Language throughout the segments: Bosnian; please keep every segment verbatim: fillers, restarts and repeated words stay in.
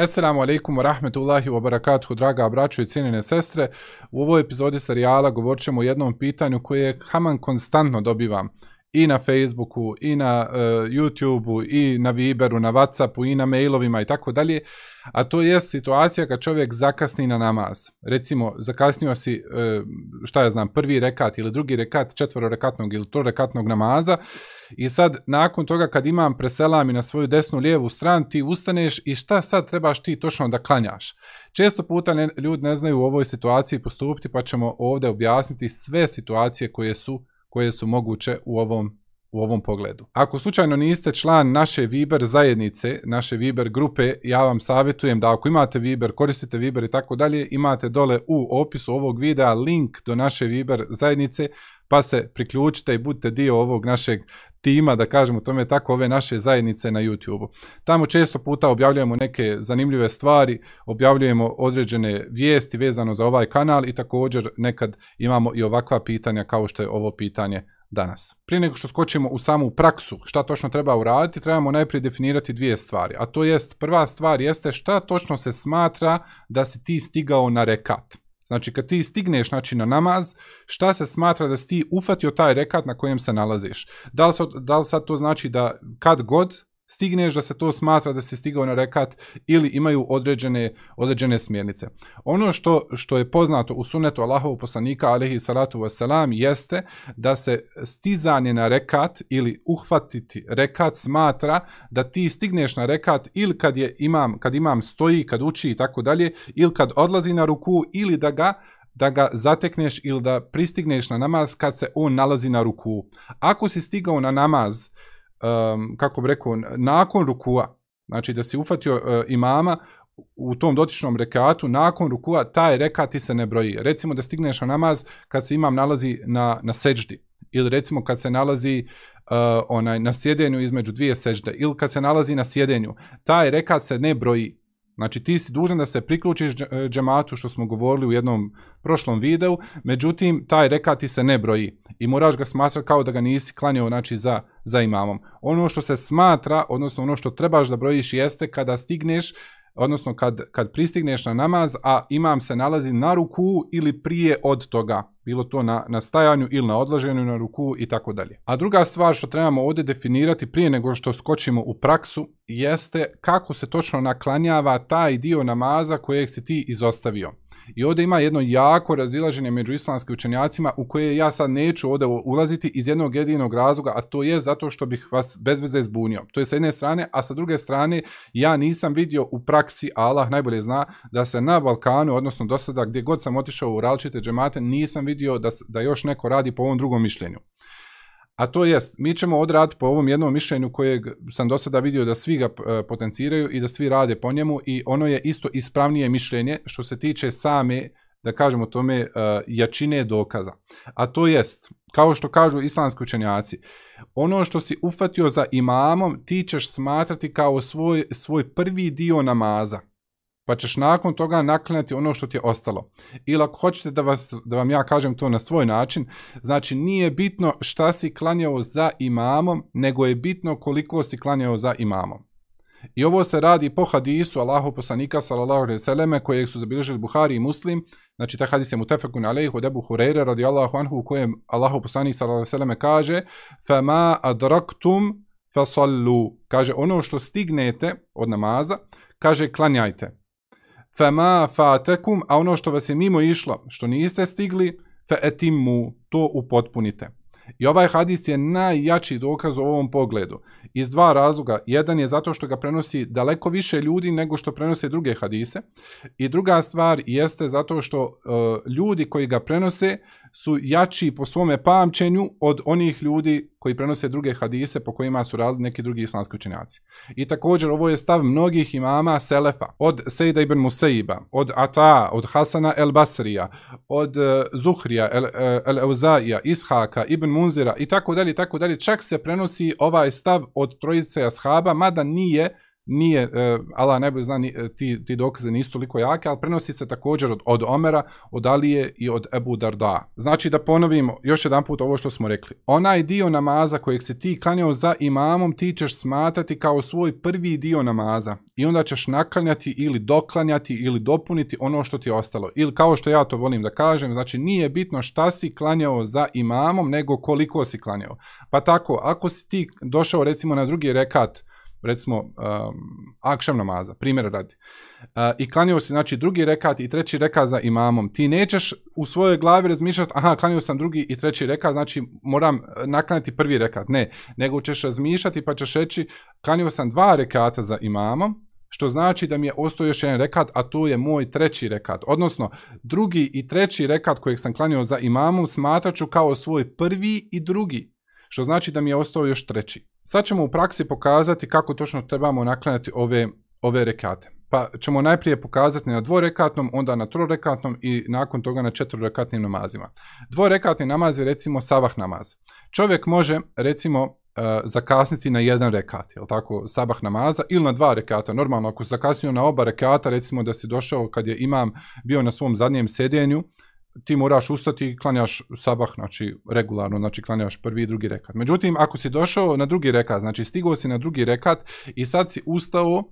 Assalamu alaikum wa rahmetullahi wa barakatuhu, draga braćo i cijenjene sestre. U ovoj epizodi serijala govorit ćemo o jednom pitanju koje haman konstantno dobivam i na Facebooku, i na uh, YouTubeu, i na Viberu, na Whatsappu, i na mailovima i tako dalje. A to je situacija kad čovjek zakasni na namaz. Recimo, zakasnio si, uh, šta ja znam, prvi rekat ili drugi rekat četvororekatnog ili trorekatnog namaza i sad nakon toga kad imam preselami na svoju desnu lijevu stranu, ti ustaneš i šta sad trebaš ti točno da klanjaš. Često puta ne, ljudi ne znaju u ovoj situaciji postupiti, pa ćemo ovdje objasniti sve situacije koje su koje su moguće u ovom, u ovom pogledu. Ako slučajno niste član naše Viber zajednice, naše Viber grupe, ja vam savjetujem da ako imate Viber, koristite Viber i tako dalje, imate dole u opisu ovog videa link do naše Viber zajednice, pa se priključite i budite dio ovog našeg tima, da kažemo tome tako, ove naše zajednice na YouTubeu. Tamo često puta objavljujemo neke zanimljive stvari, objavljujemo određene vijesti vezano za ovaj kanal i također nekad imamo i ovakva pitanja kao što je ovo pitanje danas. Prije nego što skočimo u samu praksu, šta točno treba uraditi, trebamo najprije definirati dvije stvari. A to jest, prva stvar jeste šta točno se smatra da si ti stigao na rekat. Znači, kad ti stigneš znači, na namaz, šta se smatra da si ti ufatio taj rekat na kojem se nalaziš? Da li, da li sad to znači da kad god stigneš da se to smatra da si stigao na rekat ili imaju određene, određene smjernice? Ono što, što je poznato u sunnetu Allahovog poslanika, alejhi salatu vesselam, jeste da se stizanje na rekat ili uhvatiti rekat smatra da ti stigneš na rekat ili kad, je imam, kad imam stoji, kad uči i tako dalje, ili kad odlazi na ruku ili da ga da ga zatekneš ili da pristigneš na namaz kad se on nalazi na ruku. Ako si stigao na namaz, um, kako bi rekao, nakon rukua, znači da si ufatio uh, imama u tom dotičnom rekatu, nakon rukua, taj rekat ti se ne broji. Recimo da stigneš na namaz kad se imam nalazi na, na seđdi, ili recimo kad se nalazi uh, onaj, na sjedenju između dvije seđde, ili kad se nalazi na sjedenju, taj rekat se ne broji. Znači ti si dužan da se priključiš džematu, što smo govorili u jednom prošlom videu, međutim taj rekat ti se ne broji i moraš ga smatrati kao da ga nisi klanjao znači, za, za imamom. Ono što se smatra, odnosno ono što trebaš da brojiš jeste kada stigneš, odnosno kad, kad pristigneš na namaz, a imam se nalazi na ruku ili prije od toga, bilo to na, na stajanju ili na odlaženju na ruku i tako dalje. A druga stvar što trebamo ovdje definirati prije nego što skočimo u praksu jeste kako se točno naklanjava taj dio namaza kojeg si ti izostavio. I ovdje ima jedno jako razilaženje među islamskim učenjacima u koje ja sad neću ovdje ulaziti iz jednog jedinog razloga, a to je zato što bih vas bez veze zbunio. To je sa jedne strane, a sa druge strane ja nisam vidio u praksi, a Allah najbolje zna, da se na Balkanu, odnosno do sada gdje god sam otišao u različite džemate, nisam vidio da, da još neko radi po ovom drugom mišljenju. A to jest, mi ćemo odraditi po ovom jednom mišljenju kojeg sam do sada vidio da svi ga potenciraju i da svi rade po njemu i ono je isto ispravnije mišljenje što se tiče same, da kažemo tome, jačine dokaza. A to jest, kao što kažu islamski učenjaci, ono što si ufatio za imamom ti ćeš smatrati kao svoj, svoj prvi dio namaza. Pa ćeš nakon toga naklanjati ono što ti je ostalo. Ili ako hoćete da, vas, da vam ja kažem to na svoj način, znači nije bitno šta si klanjao za imamom, nego je bitno koliko si klanjao za imamom. I ovo se radi po hadisu Allahov poslanika sallallahu alejhi ve selleme kojeg su zabilježili Buhari i Muslim. Znači taj hadis je mutefekun alejhi od Ebu Hurajre radijallahu anhu u kojem Allahov poslanik sallallahu alejhi ve selleme kaže: "Fama adraktum fasallu." Kaže ono što stignete od namaza, kaže klanjajte. Fama fatekum, a ono što vas je mimo išlo, što niste stigli, fa etimmu, to upotpunite. I ovaj hadis je najjači dokaz u ovom pogledu. Iz dva razloga. Jedan je zato što ga prenosi daleko više ljudi nego što prenose druge hadise. I druga stvar jeste zato što uh, ljudi koji ga prenose su jači po svome pamćenju od onih ljudi koji prenose druge hadise po kojima su radili neki drugi islamski učenjaci. I također ovo je stav mnogih imama Selefa, od Sejda ibn Musaiba, od Ata, od Hasana el Basrija, od uh, Zuhrija, el, el Euzaija, Ishaka, ibn Munzira i tako dalje, tako dalje. Čak se prenosi ovaj stav od trojice ashaba, mada nije nije, uh, Allah najbolje zna, ti, ti dokaze nisu toliko jake, ali prenosi se također od, od Omera, od Alije i od Ebu Darda. Znači da ponovimo još jedan put ovo što smo rekli. Onaj dio namaza kojeg se ti klanjao za imamom, ti ćeš smatrati kao svoj prvi dio namaza i onda ćeš naklanjati ili doklanjati ili dopuniti ono što ti je ostalo. Ili kao što ja to volim da kažem, znači nije bitno šta si klanjao za imamom, nego koliko si klanjao. Pa tako, ako si ti došao recimo na drugi rekat, recimo um, akšam namaza, primjer radi, uh, i klanjao si znači drugi rekat i treći rekat za imamom, ti nećeš u svojoj glavi razmišljati, aha, klanjao sam drugi i treći rekat, znači moram naklanjati prvi rekat, ne, nego ćeš razmišljati pa ćeš reći, klanjao sam dva rekata za imamom, što znači da mi je ostao još jedan rekat, a to je moj treći rekat, odnosno drugi i treći rekat kojeg sam klanjao za imamom smatrat ću kao svoj prvi i drugi, što znači da mi je ostao još treći. Sad ćemo u praksi pokazati kako točno trebamo naklanjati ove, ove rekate. Pa ćemo najprije pokazati na dvorekatnom, onda na trorekatnom i nakon toga na četvorekatnim namazima. Dvorekatni namaz je recimo sabah namaz. Čovjek može recimo uh, zakasniti na jedan rekat, jel tako, sabah namaza, ili na dva rekata. Normalno ako zakasnio na oba rekata, recimo da si došao kad je imam bio na svom zadnjem sjedenju, ti moraš ustati i klanjaš sabah, znači regularno, znači klanjaš prvi i drugi rekat. Međutim, ako si došao na drugi rekat, znači stigao si na drugi rekat i sad si ustao uh,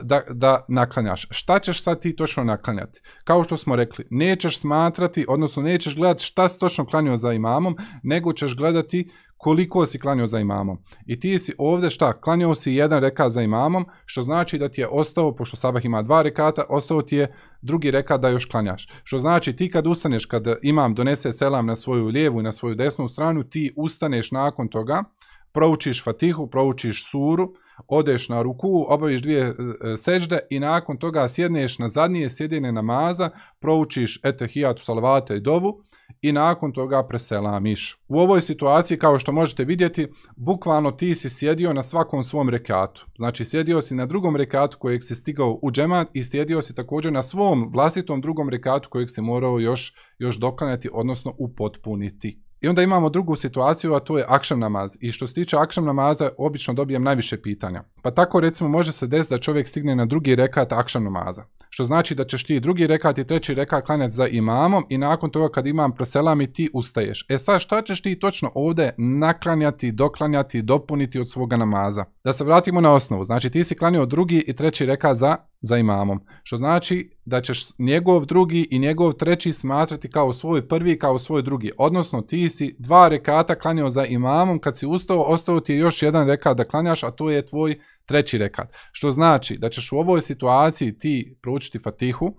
da, da naklanjaš. Šta ćeš sad ti točno naklanjati? Kao što smo rekli, nećeš smatrati, odnosno nećeš gledati šta si točno klanjao za imamom, nego ćeš gledati koliko si klanjao za imamom. I ti si ovdje šta? Klanjao si jedan rekat za imamom, što znači da ti je ostao, pošto sabah ima dva rekata, ostao ti je drugi rekat da još klanjaš. Što znači ti kad ustaneš, kad imam donese selam na svoju lijevu i na svoju desnu stranu, ti ustaneš nakon toga, proučiš fatihu, proučiš suru, odeš na ruku, obaviš dvije e, sežde i nakon toga sjedneš na zadnje sjedine namaza, proučiš etehijatu, salavate i dovu i nakon toga preselamiš. U ovoj situaciji, kao što možete vidjeti, bukvalno ti si sjedio na svakom svom rekatu. Znači sjedio si na drugom rekatu kojeg si stigao u džemat i sjedio si također na svom vlastitom drugom rekatu kojeg si morao još, još doklanjati, odnosno upotpuniti. I onda imamo drugu situaciju, a to je akšam namaz. I što se tiče akšam namaza, obično dobijem najviše pitanja. Pa tako recimo može se desiti da čovjek stigne na drugi rekat akšam namaza. Što znači da ćeš ti drugi rekat i treći rekat klanjati za imamom i nakon toga kad imam preselami ti ustaješ. E sad šta ćeš ti točno ovdje naklanjati, doklanjati, dopuniti od svoga namaza? Da se vratimo na osnovu. Znači ti si klanjao drugi i treći rekat za, za imamom. Što znači da ćeš njegov drugi i njegov treći smatrati kao svoj prvi, kao svoj drugi. Odnosno ti si dva rekata klanjao za imamom, kad si ustao, ostao ti je još jedan rekat da klanjaš, a to je tvoj treći rekat. Što znači da ćeš u ovoj situaciji ti proučiti fatihu,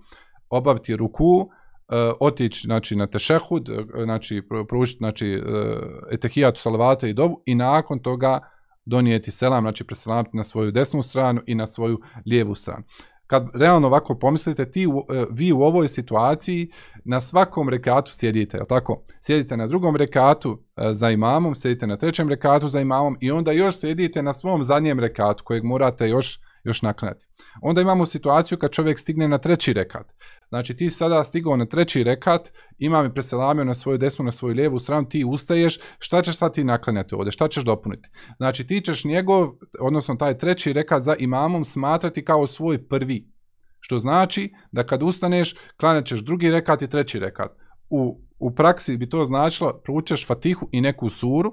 obaviti ruku, uh, otići znači, na tešehud, znači proučiti znači, uh, etehijatu, salavate i dovu i nakon toga donijeti selam, znači preselamiti na svoju desnu stranu i na svoju lijevu stranu. Kad realno ovako pomislite, ti, vi u ovoj situaciji na svakom rekatu sjedite, je li tako? Sjedite na drugom rekatu za imamom, sjedite na trećem rekatu za imamom i onda još sjedite na svom zadnjem rekatu kojeg morate još, još naklanjati. Onda imamo situaciju kad čovjek stigne na treći rekat. Znači ti sada stigao na treći rekat, imam i preselamio na svoju desnu, na svoju lijevu stranu, ti ustaješ, šta ćeš sad ti naklanjati ovdje, šta ćeš dopuniti? Znači ti ćeš njegov, odnosno taj treći rekat za imamom smatrati kao svoj prvi. Što znači da kad ustaneš, klanjat ćeš drugi rekat i treći rekat. U, u praksi bi to značilo, proučeš fatihu i neku suru,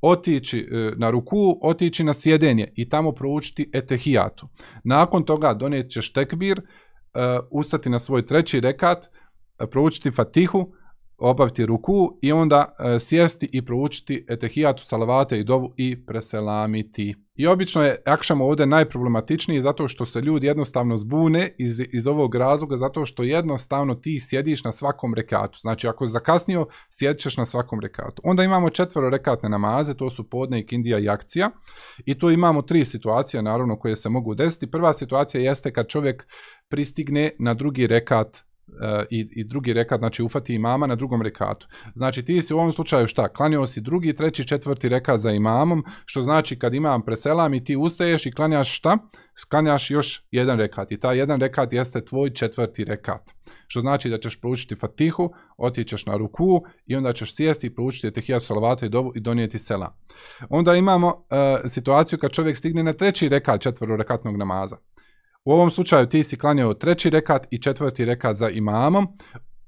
otići e, na ruku, otići na sjedenje i tamo proučiti etehijatu. Nakon toga donijet ćeš tekbir, Uh, ustati na svoj treći rekat, uh, proučiti fatihu, obaviti ruku i onda uh, sjesti i proučiti etehijatu, salavate i dovu i preselamiti. I obično je akšam ovdje najproblematičniji zato što se ljudi jednostavno zbune iz, iz ovog razloga, zato što jednostavno ti sjediš na svakom rekatu. Znači ako zakasnio, sjedit ćeš na svakom rekatu. Onda imamo četvero rekatne namaze, to su podne, ikindija i akcija. I tu imamo tri situacije naravno koje se mogu desiti. Prva situacija jeste kad čovjek pristigne na drugi rekat i, i drugi rekat, znači ufati imama na drugom rekatu. Znači ti si u ovom slučaju šta? Klanjao si drugi, treći, četvrti rekat za imamom, što znači kad imam preselam i ti ustaješ i klanjaš šta? Klanjaš još jedan rekat i taj jedan rekat jeste tvoj četvrti rekat. Što znači da ćeš proučiti Fatihu, otićeš na ruku i onda ćeš sjesti i proučiti Etehijat, salavate i dovu i donijeti selam. Onda imamo uh, situaciju kad čovjek stigne na treći rekat četverorekatnog namaza. U ovom slučaju ti si klanjao treći rekat i četvrti rekat za imamom.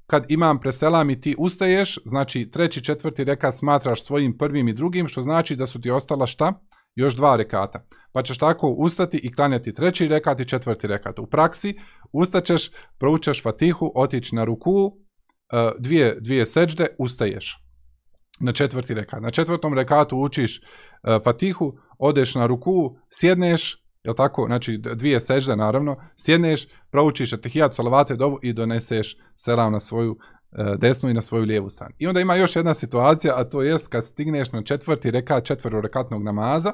Kad imam preselam i ti ustaješ, znači treći, četvrti rekat smatraš svojim prvim i drugim, što znači da su ti ostala šta? Još dva rekata. Pa ćeš tako ustati i klanjati treći rekat i četvrti rekat. U praksi ustaćeš, proučaš Fatihu, otići na ruku, dvije, dvije seđde, ustaješ na četvrti rekat. Na četvrtom rekatu učiš Fatihu, odeš na ruku, sjedneš, jel tako, znači dvije sežde naravno, sjedneš, proučiš Etehijat, salavate, dovu i doneseš selam na svoju e, desnu i na svoju lijevu stranu. I onda ima još jedna situacija, a to jest kad stigneš na četvrti rekat četverorekatnog namaza,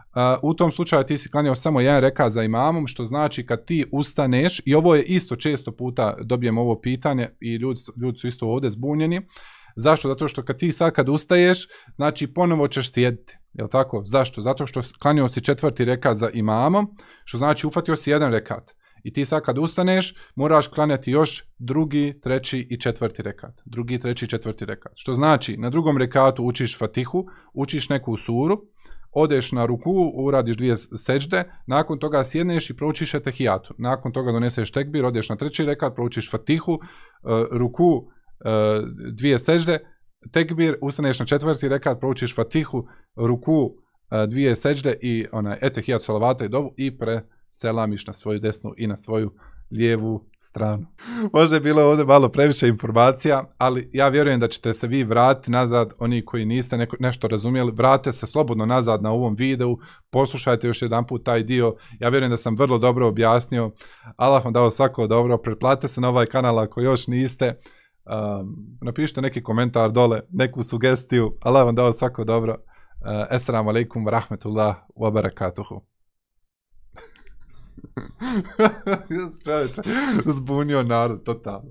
Uh, u tom slučaju ti si klanjao samo jedan rekat za imamom, što znači kad ti ustaneš, i ovo je isto često puta dobijem ovo pitanje i ljudi, ljudi su isto ovdje zbunjeni. Zašto? Zato što kad ti sad kad ustaješ, znači ponovo ćeš sjediti. Jel tako? Zašto? Zato što klanjao si četvrti rekat za imamom, što znači ufatio si jedan rekat. I ti sad kad ustaneš, moraš klanjati još drugi, treći i četvrti rekat. Drugi, treći i četvrti rekat. Što znači, na drugom rekatu učiš Fatihu, učiš neku suru, odeš na ruku, uradiš dvije seđde, nakon toga sjedneš i proučiš Etehijatu. Nakon toga doneseš tekbir, odeš na treći rekat, proučiš Fatihu, uh, ruku, uh, dvije seđde, tekbir, ustaneš na četvrti rekat, proučiš Fatihu, ruku, uh, dvije seđde i onaj Etehijat, salavata i dovu i preselamiš na svoju desnu i na svoju lijevu stranu. Možda je bilo ovdje malo previše informacija, ali ja vjerujem da ćete se vi vratiti nazad, oni koji niste neko, nešto razumjeli, vratite se slobodno nazad na ovom videu, poslušajte još jedan put taj dio, ja vjerujem da sam vrlo dobro objasnio, Allah vam dao svako dobro, pretplatite se na ovaj kanal ako još niste, um, napišite neki komentar dole, neku sugestiju, Allah vam dao svako dobro, uh, Esselamu alaikum wa rahmetullah wa barakatuhu. Čovječe, uzbunio narod, totalno.